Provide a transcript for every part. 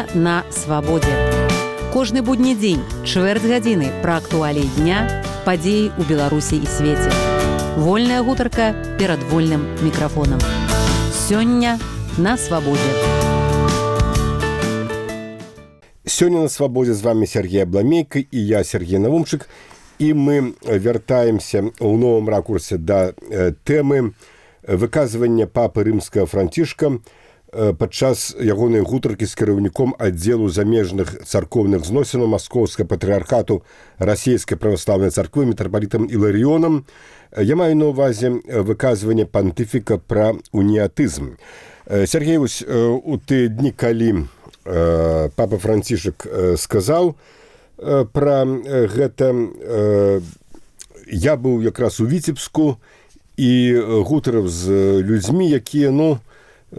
Сёння на свабодзе. Кожны будні дзень, чвэрць гадзіны пра актуаліі дня, падзеі ў Беларусі і свеце. Вольная гутарка перад вольным мікрафонам. Сёння на свабодзе. Сёння на свабодзе з вами Сергей Абламейка і я, Сергей Навумчык. І мы вяртаемся ў новым ракурсе да тэмы выказвання папы рымскага Францішка падчас ягонай гутаркі з кіраўніком аддзелу замежных царкоўных зносінаў Маскоўскага патрыархату Расійскай праваслаўнай царквы мітрапалітам Іларыёнам. Я маю на ўвазе выказванне пантыфіка пра уніятызм. Сергей, у тыя дні, калі папа Францішак сказаў пра гэта, я быў якраз у Віцебску і гутарыў з людзьмі, якія,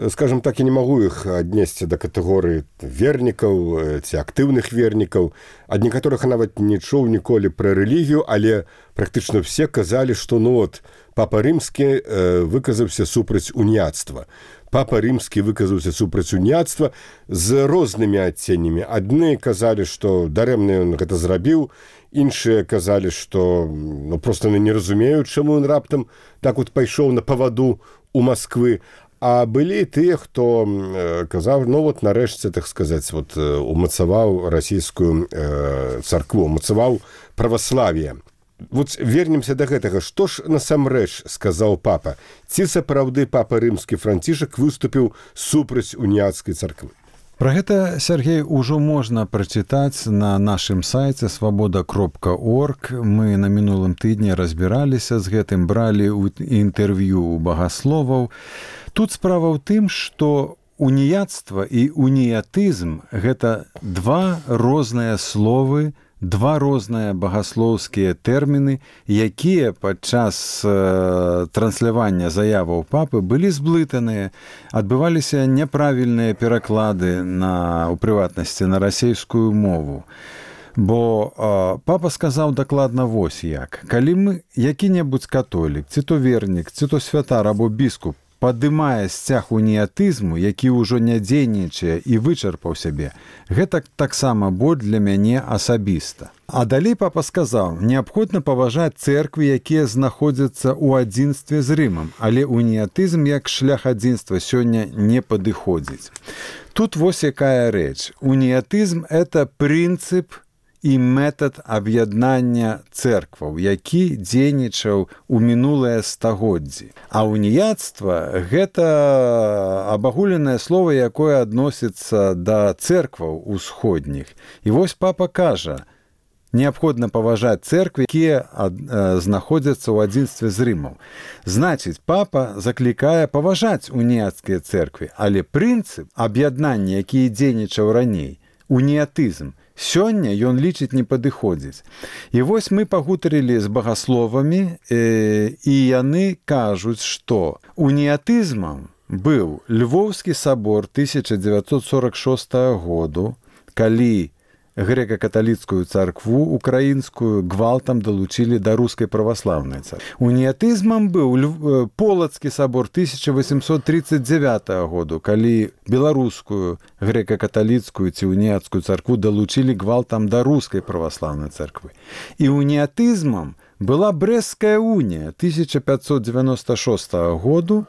скажем так, я не магу іх аднесці да катэгорыі вернікаў ці актыўных вернікаў, ад некаторых нават не чуў ніколі пра рэлігію, але практычна все казалі, што папа рымскі выказаўся супраць уніяцтва. Папа рымскі выказаўся супраць уніяцтва з рознымі адценнямі. Адны казалі, што дарэмна ён гэта зрабіў, іншыя казалі, што проста не разумеюць, чаму ён раптам так пайшоў на паваду у Масквы. А былі тыя, хто казаў, нарэшце, так сказаць, умацаваў расійскую царкву, умацаваў праваславие. Вернемся да гэтага. Што ж насамрэч сказаў папа? Ці сапраўды папа рымскі Францішак выступіў супраць уніяцкай царквы? Пра гэта, Сергей, ужо можна прачытаць на нашым сайце свабода.орг. Мы на мінулым тыдні разбіраліся з гэтым, бралі інтэрв'ю ў багасловаў. Тут справа ў тым, што уніяцтва і уніятызм – гэта два розныя словы, два розныя багаслоўскія тэрміны, якія падчас транслявання заяваў папы былі зблытаныя, адбываліся няправільныя пераклады у прыватнасці на расейскую мову. Бо папа сказаў дакладна вось як. Калі мы, які-небудзь католік, ці то вернік, ці то святар або біскуп, падымае сцяг уніятызму, які ўжо не дзейнічае і вычарпаў сябе, гэта таксама боль для мяне асабіста. А далей папа сказаў, неабходна паважаць цэрквы, якія знаходзяцца ў адзінстве з Рымам, але уніятызм як шлях адзінства сёння не падыходзіць. Тут вось якая рэч. Уніятызм – это прынцып і метад аб'яднання цэркваў, які дзейнічаў у мінулыя стагоддзі. А уніяцтва – гэта абагуленае слова, якое адносіцца да цэркваў усходніх. І вось папа кажа, неабходна паважаць цэрквы, якія знаходзяцца ў адзінстве з Рымам. Значыць, папа заклікае паважаць уніяцкія цэрквы, але прынцып аб'яднання, які дзейнічаў раней, уніятызм, сёння ён лічыць не падыходзіць. І вось мы пагутарылі з багасловамі, і яны кажуць, што уніятызмам быў Львоўскі сабор 1946 году, калі грэка-каталіцкую царкву украінскую гвалтам далучылі да рускай праваслаўнай царквы. Уніятызмам быў Полацкі сабор 1839 году, калі беларускую грэка-каталіцкую ці уніяцкую царкву далучылі гвалтам да рускай праваслаўнай царквы. І уніятызмам была Брэсцкая унія 1596 году,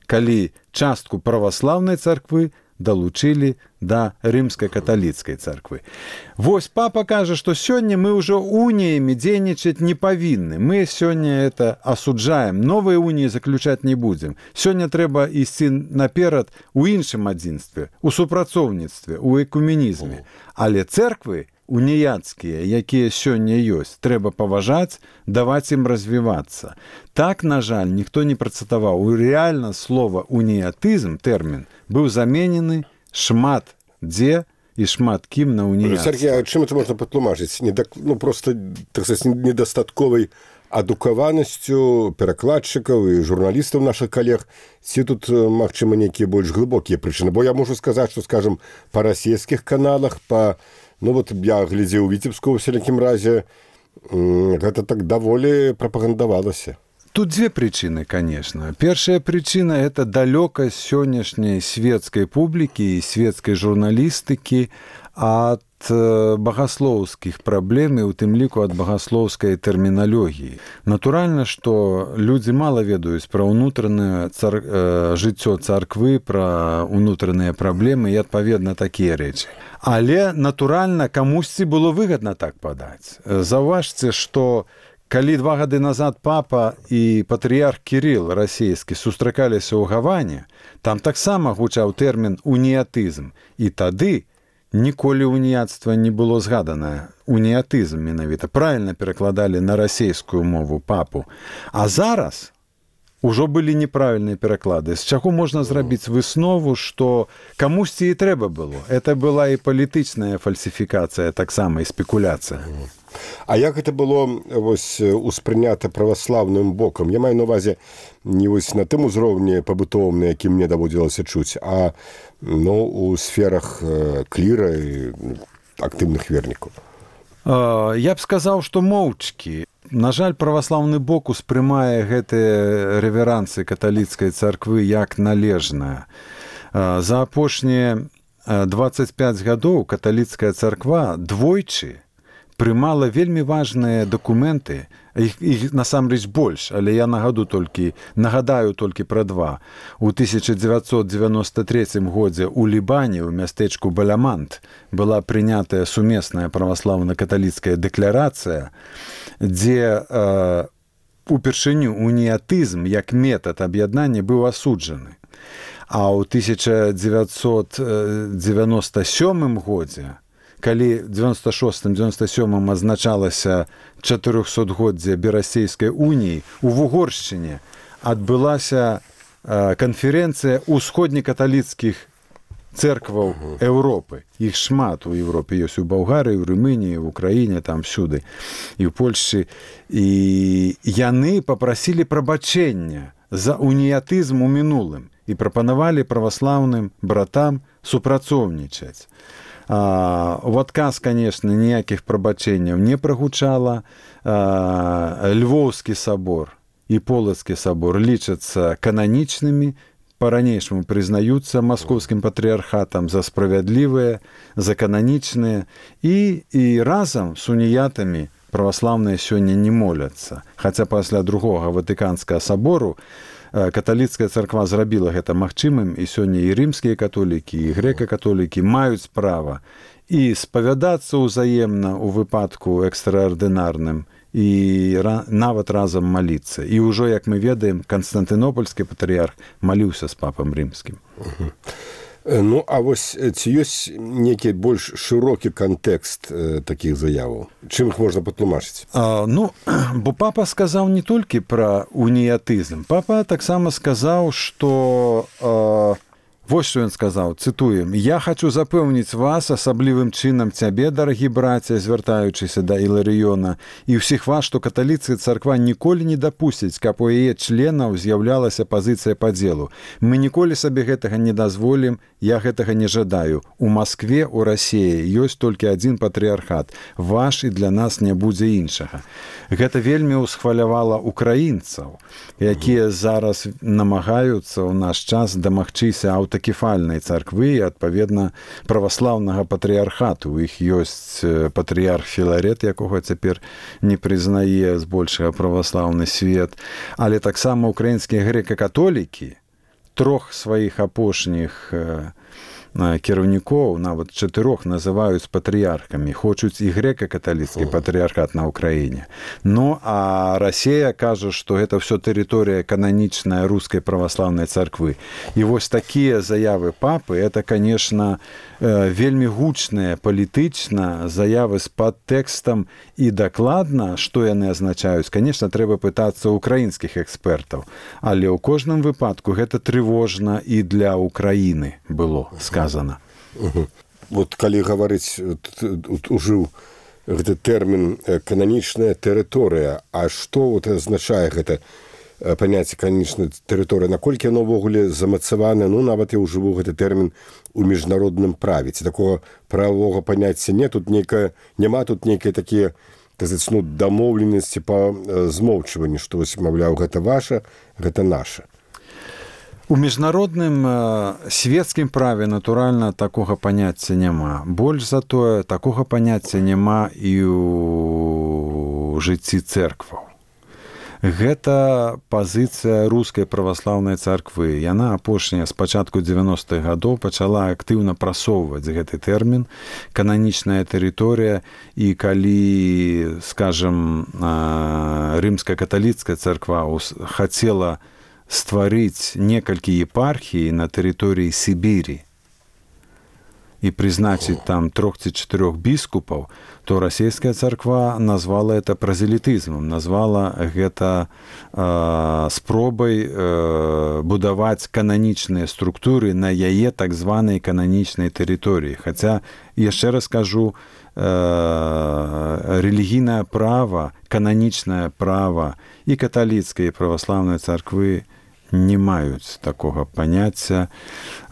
калі частку праваслаўнай царквы далучылі да рымска-каталіцкай царквы. Вось папа кажа, што сёння мы ўжо уніямі дзейнічаць не павінны. Мы сёння это асуджаем. Новыя уніі заключаць не будзем. Сёння трэба ісці наперад у іншым адзінстве, у супрацоўніцтве, у экуменізме. Але цэрквы уніяцкія, якія сёння ёсць, трэба паважаць, даваць ім развівацца. Так, на жаль, ніхто не працытаваў. Рэальна слова уніятызм, тэрмін, быў заменены шмат дзе і шмат кім на уніяцтва. Сергей, а чым это можна патлумачыць? Просто, так сказать, недастатковай адукаванасцю перакладчыкаў і журналістаў нашых калег, ці тут, магчыма, нейкія больш глыбокія прычыны? Бо я можу сказаць, што, скажам, па расійскіх каналах, я глядзеў у Віцебску ў всякім разе, гэта так даволі прапагандавалася. тут две причины, конечно. Первая причина – это далекость сегодняшней светской публики и светской журналистики от богословских проблем и у тым ліку от богословской терминологии. Натурально, что люди мало ведаюць про внутреннее жыццё царквы, про внутренние проблемы и, адпаведна, такие речи. Але, натурально, камусьці было выгодно так подать. Заўважце, что калі 2 гады назад папа і патрыярх Кірыл расійскі сустракаліся ў Гаване, там таксама гучаў тэрмін «уніятызм». І тады ніколі уніяцтва не было згадана. Уніятызм менавіта. Правильно перакладалі на расійскую мову папу. А зараз ужо былі неправільныя пераклады. З чаго можна зрабіць выснову, што камусьці і трэба было. Это была і палітычная фальсіфікацыя, таксама і спекуляцыя. А як гэта было успрынята праваслаўным бокам? Я маю на увазе не на тым узроўні пабытовым, на якім мне даводзілася чуць, а у сферах кліра і актыўных вернікаў. Я б сказаў, што моўчкі. На жаль, праваслаўны бок успрымае гэтыя рэверансы каталіцкай царквы як належнае. За апошнія 25 гадоў каталіцкая царква двойчы прымала вельмі важныя дакументы, іх насамрэч больш, але я нагадаю толькі пра 2. У 1993 годзе ў Лібане, ў мястэчку Балямант, была прынятая сумесная праваслаўна-каталіцкая дэкларацыя, дзе упершыню уніятызм як метад аб'яднання быў асуджаны. А ў 1997 годзе, калі 96-97 азначалася 400-годдзе Берасцейскай уніі, у Вугоршчыне адбылася канферэнцыя усходнекаталіцкіх церкваў Еўропы. Іх шмат у Еўропе ёсць у Балгарыі, у Румыніі, в Украіне, там всюды, і ў Польшчы. І яны папрасілі прабачэння за уніятызм у мінулым і прапанавалі праваслаўным братам супрацоўнічаць. У адказ, конечно, ніякіх прабачэнняў не прагучала. Львоўскі сабор і Полацкі сабор лічацца кананічнымі, па-ранейшаму прызнаюцца маскоўскім патрыярхатам за справядлівыя, за кананічныя, і разам з уніятамі праваслаўныя сёння не моляцца. Хаця пасля другога Ватыканскага сабору каталіцкая царква зрабіла гэта магчымым, і сёння і рымскія католікі, і грэка-католікі маюць права і спавядацца ўзаемна ў выпадку экстраардынарным, і нават разам маліцца. І ўжо, як мы ведаем, Канстантынопольскі патрыярх маліўся з папам рымскім. Ну, а вось ці ёсць нейкі больш шырокі кантэкст такіх заяваў? Чым іх можна патлумачыць? Бо папа сказаў не толькі пра уніятызм. Папа таксама сказаў, што... Вось што ён сказаў, цытуем: «Я хочу запэўніць вас, асаблівым чынам цябе, дарагі браце, звяртаючыся да Іларыёна, і ўсіх вас, што каталіцкая царква ніколі не дапусціць, каб у яе членаў з'яўлялася пазіцыя падзелу. Мы ніколі сабе гэтага не дазволім, я гэтага не жадаю. У Маскве, у Расіі ёсць толькі адзін патрыярхат. Ваш, і для нас не будзе іншага». Гэта вельмі ўсхвалявала украінцаў, якія зараз намагаюцца ў наш час дамагчыся аўтакефальнай царквы і, адпаведна, праваслаўнага патрыярхату. У іх ёсць патрыярх Філарет, якога цяпер не прызнае збольшага праваслаўны свет, але таксама украінскія грэка-католікі, 3 сваіх апошніх кіраўнікоў, нават 4 называюць патрыярхамі, хочуць і грэка-каталіцкі патрыярхат на Ўкраіне. Ну, а Расія кажа, што гэта ўсё тэрыторыя кананічная рускай праваслаўнай царквы. І вось такія заявы папы, это, конечно, вельмі гучныя палітычна заявы з падтэкстам, і дакладна, што яны азначаюць, конечно, трэба пытацца ўкраінскіх экспертаў, але ў кожным выпадку гэта трывожна і для Украіны было сказана. Вот калі гаварыць, ужыў гэты тэрмін кананічная тэрыторыя, а што азначае гэта паняцце кананічная тэрыторыя, наколькі яно ўвогуле замацавана? Ну, нават я ўжыву гэты тэрмін у міжнародным праве. Ці такога правовага паняцця не, тут няма тут нейкія такія дамоўленасці па змоўчванні, што, маўляў, гэта ваша, гэта наша. У міжнародным свецкім праве, натуральна, такога паняцця няма. Больш за тое, такога паняцця няма і ў жыцці цэркваў. Гэта пазіцыя рускай праваслаўнай царквы. Яна апошняя з пачатку 90-х гадоў пачала актыўна прасоўваць гэты тэрмін кананічная тэрыторыя, і калі, скажам, рымска-каталіцкая царква хацела стварыць некалькі епархій на тэрыторыі Сібірі і прызначыць там 3 ці 4 біскупаў, то расійская царква назвала это празелітызмам, назвала гэта спробай будаваць кананічныя структуры на яе так званай кананічнай тэрыторыі. Хаця, яшчэ раз кажу, рэлігійнае права, кананічнае права і каталіцкай і праваслаўнай царквы не маюць такога паняцця.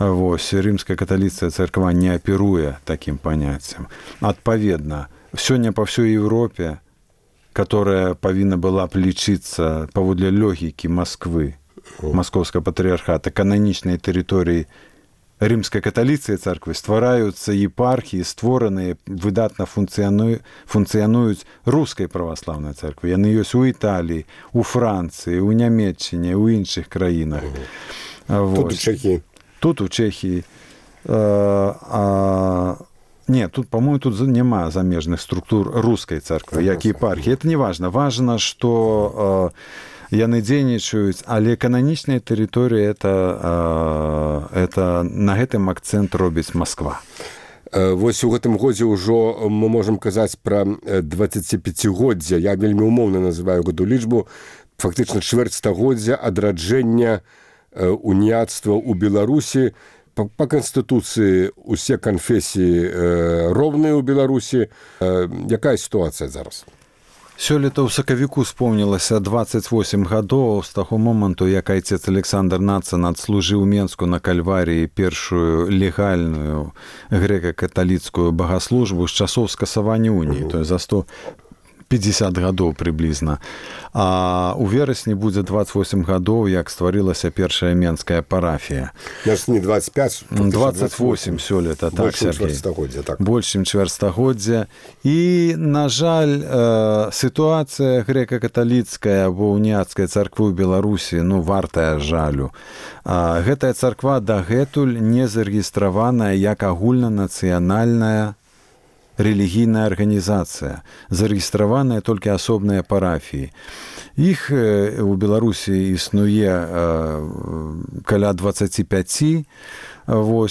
Рымская каталіцкая царква не аперуе такім паняццем. Адпаведна, сёння па ўсёй Европе, которая павінна была б лічыцца паводле логікі Масквы, маскоўскага патрыархата, кананічнай тэрыторыі рымскай каталіцкай царквы, ствараюцца епархіі, створаныя, выдатна функцыянуюць рускай праваслаўнай царквы. Яны ёсць у Італіі, у Францыі, у Нямецчыне, у іншых краінах. Тут у Чэхіі. Тут у Чэхіі. Не, тут, по-моему, тут няма замежных структур рускай царквы, як епархіі. Это не важна. Важна, што яны дзейнічаюць, але кананічная тэрыторыя это на гэтым акцэнт робіць Масква. Вось у гэтым годзе ўжо мы можам казаць пра 25годдзя. Я вельмі умоўна называю гэту лічбу. Фактычна чвэрць стагоддзя адраджэння уніяцтва ў Беларусі. Па Канстытуцыі усе канфесіі роўныя ў Беларусі. Якая сітуацыя зараз? Сёлета ў сакавіку спомнілася 28 гадоў з таго моманту, як айцец Александр Нацан адслужыў Менску на Кальварыі першую легальную грэка-каталіцкую багаслужбу з часоў скасавання уніі, то есть за 150 гадоў прыблізна. А ў верасні будзе 28 гадоў, як стварылася першая менская парафія. Не 25, 28 сёлета, так, Сергей. Больш чым чвэрцьстагоддзя. І, на жаль, сітуацыя грэка-каталіцкая або уніяцкай царквы ў Беларусі, вартая жалю. Гэтая царква дагэтуль не зарэгістраваная як агульнанацыянальная рэлігійная арганізацыя, зарэгістраваныя толькі асобныя парафіі. Іх у Беларусі існуе каля 25.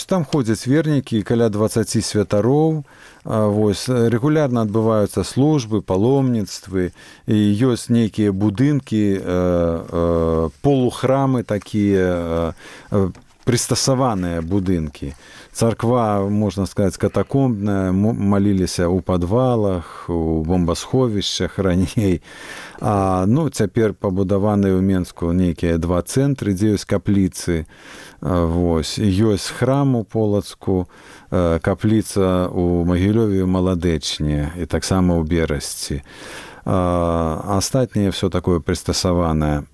Там ходзяць вернікі, каля 20 святароў. Рэгулярна адбываюцца службы, паломніцтвы, і ёсць нейкія будынкі, полухрамы такія, прыстасаваныя будынкі. Царква, можна сказаць, катакомбная, маліліся ў падвалах, у бомбасховішчах раней. Цяпер пабудаваныя ў Менску нейкія 2 цэнтры, дзе ёсць капліцы. Ёсць храм у Полацку, капліца ў Магілёве, ў Маладэчне і таксама ў Берасці. Астатняе ўсё такое прыстасаванае.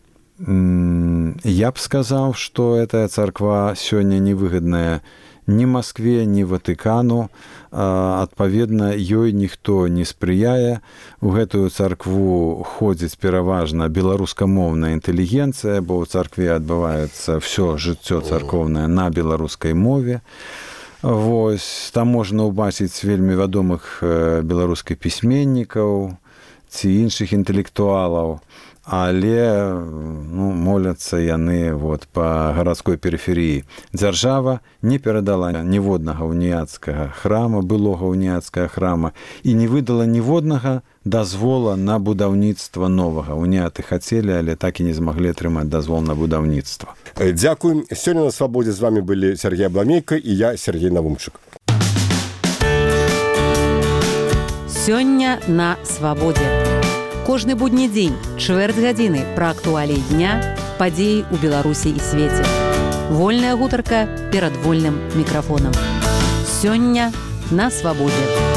Я б сказаў, што гэтая царква сёння невыгадная ні Маскве, ні Ватыкану. Адпаведна, ёй ніхто не спрыяе. У гэтую царкву ходзіць пераважна беларускамоўная інтэлігенцыя, бо ў царкве адбываецца ўсё жыццё царкоўнае на беларускай мове. Там можна ўбачыць вельмі вядомых беларускіх пісьменнікаў ці іншых інтэлектуалаў. Але моляцца яны па гарадской перыферыі. Дзяржава не перадала ніводнага уніяцкага храма, былога уніяцкага храма, і не выдала ніводнага дазвола на будаўніцтва новага. Уніяты хацелі, але так і не змаглі атрымаць дазвол на будаўніцтва. Дзякуй. Сёння на свабодзе з вами былі Сергей Абламейка і я, Сергей Навумчык. Сёння на свабодзе. Кожны будні дзень, чвэрць гадзіны пра актуаліі дня, падзеі ў Беларусі і свеце. Вольная гутарка перад вольным мікрафонам. Сёння на свабодзе.